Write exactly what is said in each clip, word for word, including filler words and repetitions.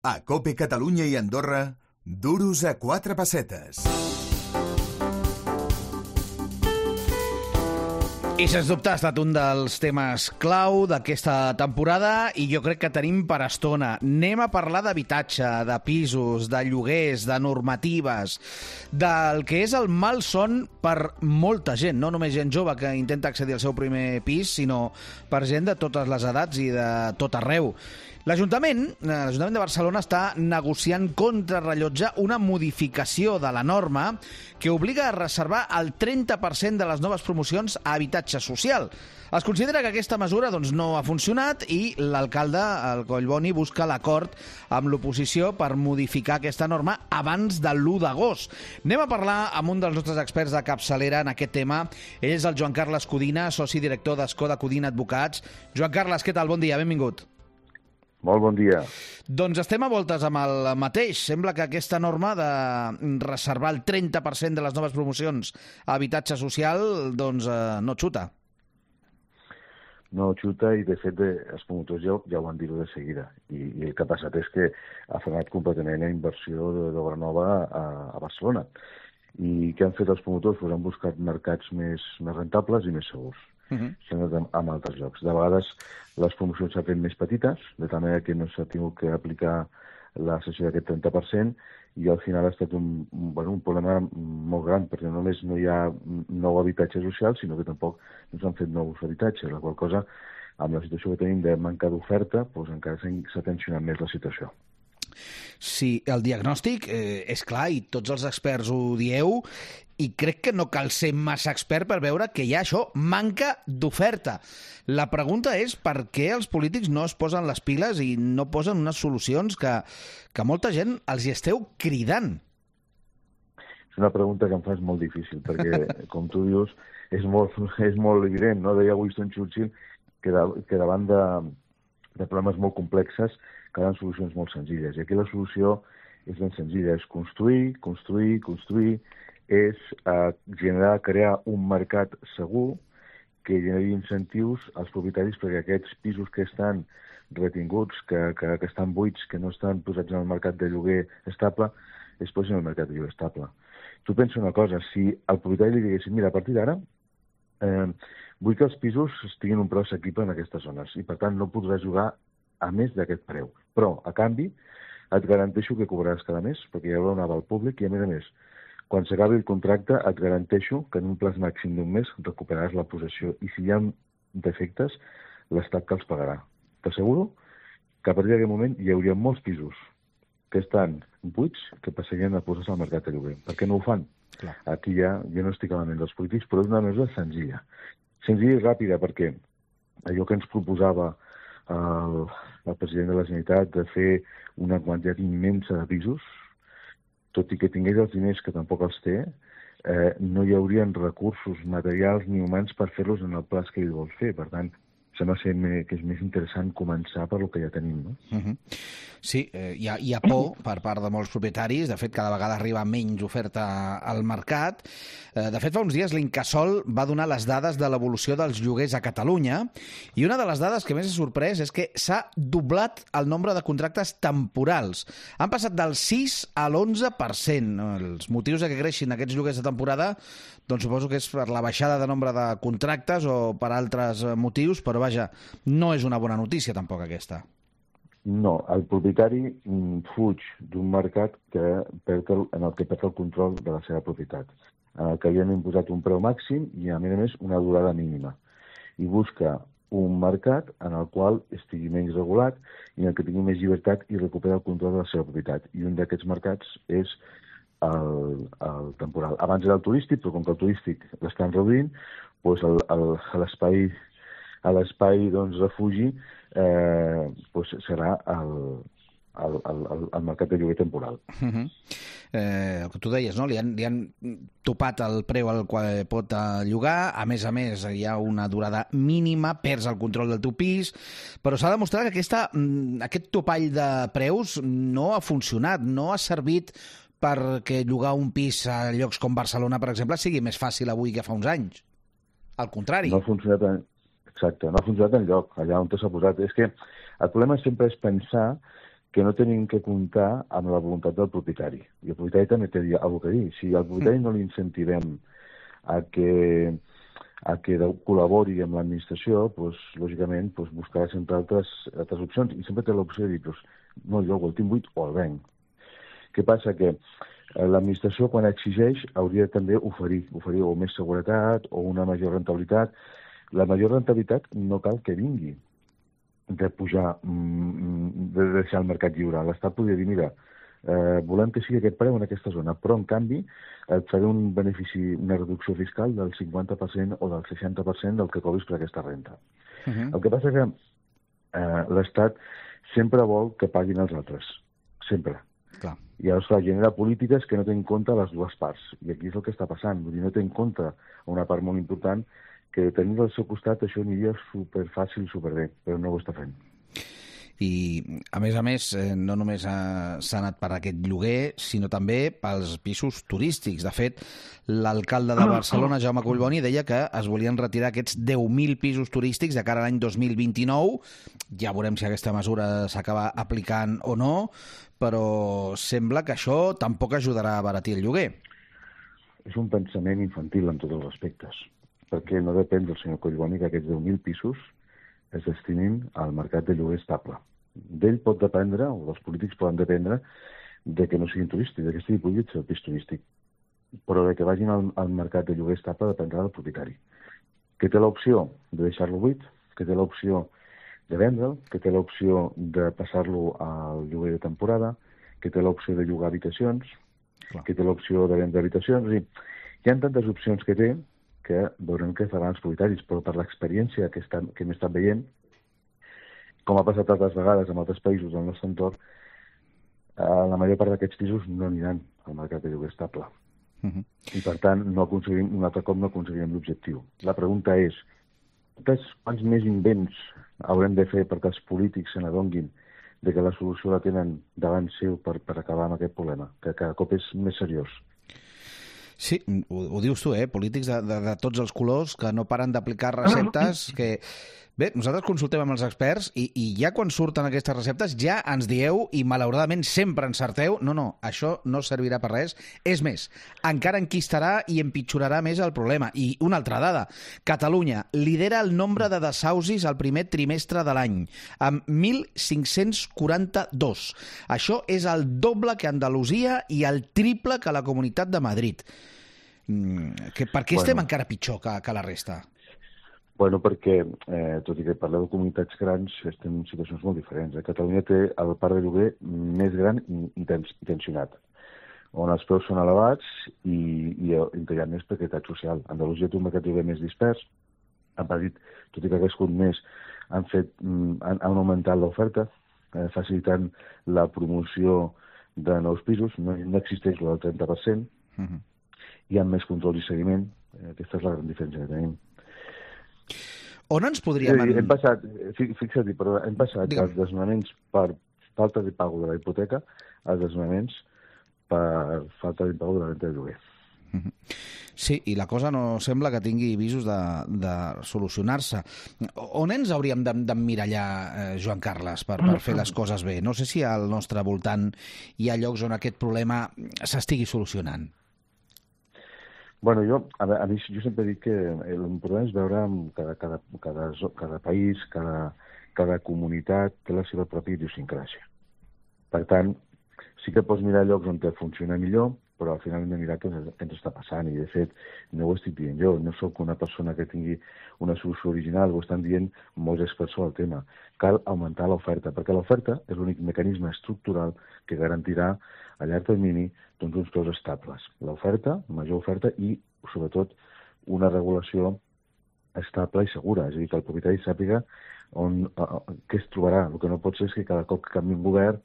A COPE Catalunya i Andorra, duros a quatre pessetes. I sens dubte ha estat un dels temes clau d'aquesta temporada i jo crec que tenim per estona. Anem a parlar d'habitatge, de pisos, de lloguers, de normatives, del que és el malson per molta gent, no només gent jove que intenta accedir al seu primer pis, sinó per gent de totes les edats i de tot arreu. L'Ajuntament, l'Ajuntament de Barcelona està negociant contra rellotge una modificació de la norma que obliga a reservar el trenta per cent de les noves promocions a habitatge social. Es considera que aquesta mesura doncs, no ha funcionat i l'alcalde, el Collboni, busca l'acord amb l'oposició per modificar aquesta norma abans de l'u d'agost. Anem a parlar amb un dels nostres experts de capçalera en aquest tema. Ell és el Joan Carles Codina, soci director d'Escoda Codina Advocats. Joan Carles, què tal? Bon dia, benvingut. Molt bon dia. Doncs estem a voltes amb el mateix. Sembla que aquesta norma de reservar el trenta per cent de les noves promocions a habitatge social doncs, eh, no xuta. No xuta i, de fet, els promotors ja, ja ho van dir-ho de seguida. I, I el que ha passat és que ha frenat completament la inversió d'obra nova a, a Barcelona. I què han fet els promotors? Pues han buscat mercats més, més rentables i més segurs. Uh-huh. S'han anat en altres llocs. De vegades les promocions s'han fet més petites, de tal manera que no s'ha tingut que aplicar la cessió d'aquest trenta per cent i al final ha estat un, bueno, un problema molt gran, perquè no només no hi ha nou habitatge social, sinó que tampoc no s'han fet nous habitatges, la qual cosa, amb la situació que tenim de manca d'oferta, doncs encara s'ha tensionat més la situació. Sí, el diagnòstic eh, és clar i tots els experts ho dieu i crec que no cal ser massa expert per veure que hi ha això, manca d'oferta. La pregunta és per què els polítics no es posen les piles i no posen unes solucions que, que molta gent els hi esteu cridant. És una pregunta que em fas molt difícil perquè, com tu dius, és molt, és molt evident, no? Deia Winston Churchill que, de, que davant de, de problemes molt complexes calen solucions molt senzilles. I aquí la solució és ben senzilla, és construir, construir, construir, és eh, generar, crear un mercat segur que generi incentius als propietaris perquè aquests pisos que estan retinguts, que, que, que estan buits, que no estan posats en el mercat de lloguer estable, es posin en el mercat de lloguer estable. Tu pensa una cosa, si al propietari li diguessin, mira, a partir d'ara eh, vull que els pisos estiguin un preu assequible en aquestes zones i per tant no podràs jugar a més d'aquest preu. Però, a canvi, et garanteixo que cobraràs cada mes, perquè hi haurà un aval públic i, a més a més, quan s'acabi el contracte, et garanteixo que en un plaç màxim d'un mes recuperaràs la possessió. I si hi ha defectes, l'Estat que els pagarà. T'asseguro que a partir d'aquest moment hi hauria molts pisos que estan buits que passarien a posar-se al mercat de lloguer. Per què no ho fan? Clar. Aquí ja, jo no estic a la ment dels polítics, però és una mesura senzilla. Senzilla i ràpida, perquè allò que ens proposava el, el president de la Generalitat de fer una quantitat immensa de pisos, tot i que tingués els diners que tampoc els té, eh, no hi haurien recursos materials ni humans per fer-los en el plaç que ell vol fer. Per tant, sembla ser que és més interessant començar per el que ja tenim, no? Uh-huh. Sí, eh, hi, ha, hi ha por per part de molts propietaris. De fet, cada vegada arriba menys oferta al mercat. Eh, de fet, fa uns dies l'Incasòl va donar les dades de l'evolució dels lloguers a Catalunya i una de les dades que més ha sorprès és que s'ha doblat el nombre de contractes temporals. Han passat del sis a l'onze per cent. Els motius de que creixin aquests lloguers de temporada doncs suposo que és per la baixada de nombre de contractes o per altres motius, però vaja, no és una bona notícia tampoc aquesta. No, el propietari fuig d'un mercat que perd el, en el que perd el control de la seva propietat, en el que havien imposat un preu màxim i, a més a més, una durada mínima. I busca un mercat en el qual estigui menys regulat i en el que tingui més llibertat i recupera el control de la seva propietat. I un d'aquests mercats és el, el temporal. Abans era el turístic, però com que el turístic l'estan reduint, doncs el, el, l'espai a l'espai doncs, refugi eh, doncs serà el, el, el, el mercat de lloguer temporal. Uh-huh. eh, el que tu deies, no? Li han, li han topat el preu al qual pot llogar, a més a més hi ha una durada mínima, perds el control del teu pis, però s'ha demostrat que aquesta, aquest topall de preus no ha funcionat, no ha servit perquè llogar un pis a llocs com Barcelona, per exemple, sigui més fàcil avui que fa uns anys. Al contrari. No ha funcionat en... Exacte, no ha funcionat enlloc, allà on s'ha posat. És que el problema sempre és pensar que no tenim que comptar amb la voluntat del propietari. I el propietari també té alguna cosa a dir. Si al propietari no l'incentivem a que, a que col·labori amb l'administració, doncs, lògicament doncs, buscarà sempre altres, altres opcions i sempre té l'opció de dir doncs, no, jo el tinc buit o el venc. Què passa? Que l'administració, quan exigeix, hauria també oferir, oferir o més seguretat o una major rentabilitat. La major rentabilitat no cal que vingui de pujar, de deixar el mercat lliure. L'Estat podria dir, mira, eh, volem que sigui aquest preu en aquesta zona, però en canvi et faré un benefici, una reducció fiscal del cinquanta per cent o del seixanta per cent del que cobris per aquesta renta. Uh-huh. El que passa que eh, l'Estat sempre vol que paguin els altres, sempre. Clar. I llavors clar, genera polítiques que no tenen en compte les dues parts, i aquí és el que està passant, vull dir, no té en compte una part molt important que tenint al seu costat això aniria superfàcil, superbé, però no ho està fent. I, a més a més, no només s'ha anat per aquest lloguer, sinó també pels pisos turístics. De fet, l'alcalde de Barcelona, Jaume Collboni, deia que es volien retirar aquests deu mil pisos turístics de cara a l'any dos mil vint-i-nou. Ja veurem si aquesta mesura s'acaba aplicant o no, però sembla que això tampoc ajudarà a abaratir el lloguer. És un pensament infantil en tots els aspectes, perquè no depèn del senyor Collboni que aquests deu mil pisos es destinin al mercat de lloguer estable. D'ell pot dependre, o dels polítics poden dependre, de que no siguin turístics, de que estigui prohibit ser el pis turístic. Però de que vagin al, al mercat de lloguer estable dependrà del propietari, que té l'opció de deixar-lo buit, que té l'opció de vendre'l, que té l'opció de passar-lo al lloguer de temporada, que té l'opció de llogar habitacions, Clar. que té l'opció de vendre habitacions. És a dir, hi ha tantes opcions que té que veurem què faran els propietaris, però per l'experiència que, estan, que hem estat veient, com ha passat altres vegades en altres països del nostre entorn, eh, la major part d'aquests pisos no aniran al mercat de lloguer estable. Uh -huh. I per tant, no aconseguim, un altre cop no aconseguirem l'objectiu. La pregunta és, quants més invents haurem de fer perquè els polítics se n'adonguin de que la solució la tenen davant seu per, per acabar amb aquest problema, que cada cop és més seriós? Sí, ho, ho dius tu, eh? Polítics de, de, de tots els colors que no paren d'aplicar receptes que... Bé, nosaltres consultem amb els experts i, i ja quan surten aquestes receptes ja ens dieu, i malauradament sempre encerteu, no, no, això no servirà per res. És més, encara enquistarà i empitjorarà més el problema. I una altra dada, Catalunya lidera el nombre de desausis al primer trimestre de l'any, amb mil cinc-cents quaranta-dos. Això és el doble que Andalusia i el triple que la Comunitat de Madrid. Que, per què bueno. estem encara pitjor que, que la resta? Bueno, perquè, eh, tot i que parleu de comunitats grans, estem en situacions molt diferents. A Catalunya té el parc de lloguer més gran i, i tensionat, on els preus són elevats i, i, i hi ha més precarietat social. Andalusia té un mercat de lloguer més dispers, a Madrid, tot i que ha crescut més, han, fet, han, han augmentat l'oferta, eh, facilitant la promoció de nous pisos, no, no existeix el del trenta per cent, uh-huh. Hi ha més control i seguiment, eh, aquesta és la gran diferència que tenim. On ens podríem... Sí, hem passat, fixa't, però hem passat Digue'm. dels desnonaments per falta de pago de la hipoteca als desnonaments per falta de pago de la renta de lloguer. Sí, i la cosa no sembla que tingui visos de, de solucionar-se. On ens hauríem d'emmirallar, eh, Joan Carles, per, per fer les coses bé? No sé si al nostre voltant hi ha llocs on aquest problema s'estigui solucionant. Bueno, jo, a, a mi, jo sempre dic que l'important és veure cada, cada, cada, cada país, cada, cada comunitat té la seva pròpia idiosincràsia. Per tant, sí que pots mirar llocs on te funciona millor, però al final hem de mirar què ens està passant. I, de fet, no ho estic dient jo, no sóc una persona que tingui una solució original, ho estan dient molts experts sobre el tema. Cal augmentar l'oferta, perquè l'oferta és l'únic mecanisme estructural que garantirà a llarg termini doncs, uns preus estables. L'oferta, major oferta i, sobretot, una regulació estable i segura. És a dir, que el propietari sàpiga on, uh, què es trobarà. El que no pot ser és que cada cop que canvi un govern,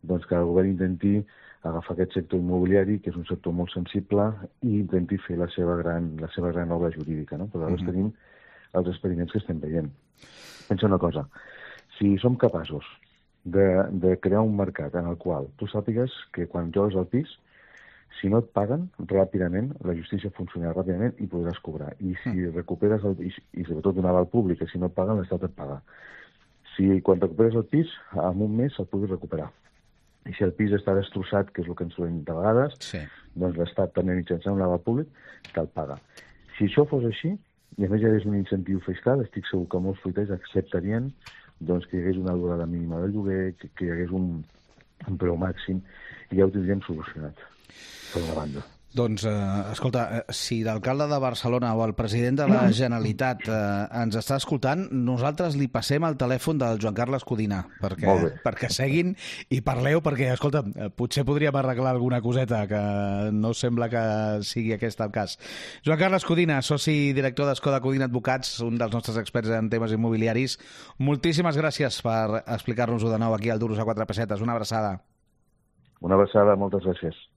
doncs que el govern intenti agafar aquest sector immobiliari, que és un sector molt sensible, i intenti fer la seva gran, la seva gran obra jurídica. No? Però ara uh-huh. tenim els experiments que estem veient. Pensa una cosa, si som capaços de, de crear un mercat en el qual tu sàpigues que quan joves al pis, si no et paguen ràpidament, la justícia funcionarà ràpidament i podràs cobrar. I si mm. recuperes el pis, i sobretot un aval públic, que si no et paguen, l'Estat et paga. Si quan recuperes el pis, en un mes el puguis recuperar. i si el pis està destrossat, que és el que ens trobem de vegades, Sí. doncs l'Estat també mitjançant un lavabo públic te'l paga. Si això fos així, i a més hi hagués un incentiu fiscal, estic segur que molts fruiters acceptarien doncs, que hi hagués una durada mínima del lloguer, que, que hi hagués un, un preu màxim, i ja ho tindríem solucionat, per una banda. Doncs, eh, escolta, eh, si l'alcalde de Barcelona o el president de la Generalitat eh, ens està escoltant, nosaltres li passem el telèfon del Joan Carles Codina perquè, Molt bé. perquè seguin i parleu, perquè, escolta, eh, potser podríem arreglar alguna coseta, que no sembla que sigui aquest el cas. Joan Carles Codina, soci director d'Escoda Codina Advocats, un dels nostres experts en temes immobiliaris, moltíssimes gràcies per explicar-nos-ho de nou aquí al Duros a quatre pessetes. Una abraçada. Una abraçada, moltes gràcies.